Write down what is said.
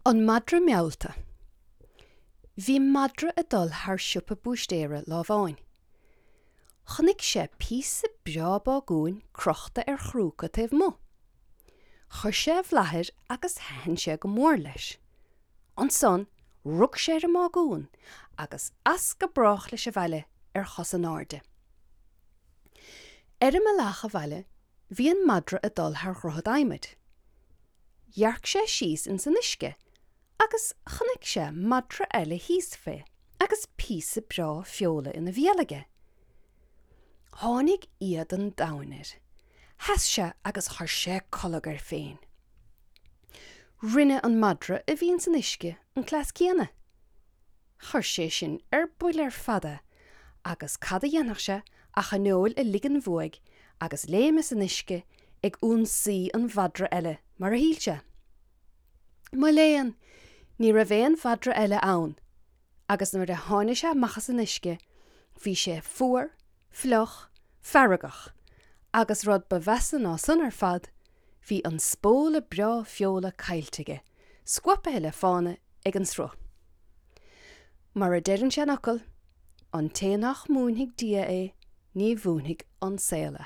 An Madra Meallta Bhí madra ag dul thar siopa búistéara lá amháin. Chonaic sé píosa breá bágúin crochta ar chrúca taobh amuigh. Chuir sé a bhlath air agus thaitin sé go mór leis. Ansan rug sé ar an mbágún agus as go brách leis abhaile ar chosa in airde. Ar an mbealach abhaile bhí an madra ag dul thar dhroichead adhmaid. Dhearc sé síos ins an uisce agus chonaic sé madra eile thíos fé agus píosa breá feola ina bhéal aige. Tháinig éad an domhain air. Sheas sé agus chuir sé colg air féin. Rinne an madra a bhí ins an uisce an cleas céanna. Chuir sé sin ar buile ar fad é agus cad a dhéanfadh sé ach an fheoil a ligean uaidh agus léim as an uisce ag ionsaí an mhadra eile, mar a shíl sé. Mo léan, ní raibh aon mhadra eile ann agus nuair a tháinig sé amach as an uisce bhí sé fuar, fliuch, feargach agus rud ba mheasa ná san ar fad, bhí an spóla breá feola caillte aige, scuabtha le fána ag an sruth. Mar a deir an seanfhocal, an té nach múinfidh Dia é, ní mhúinfidh an saol é.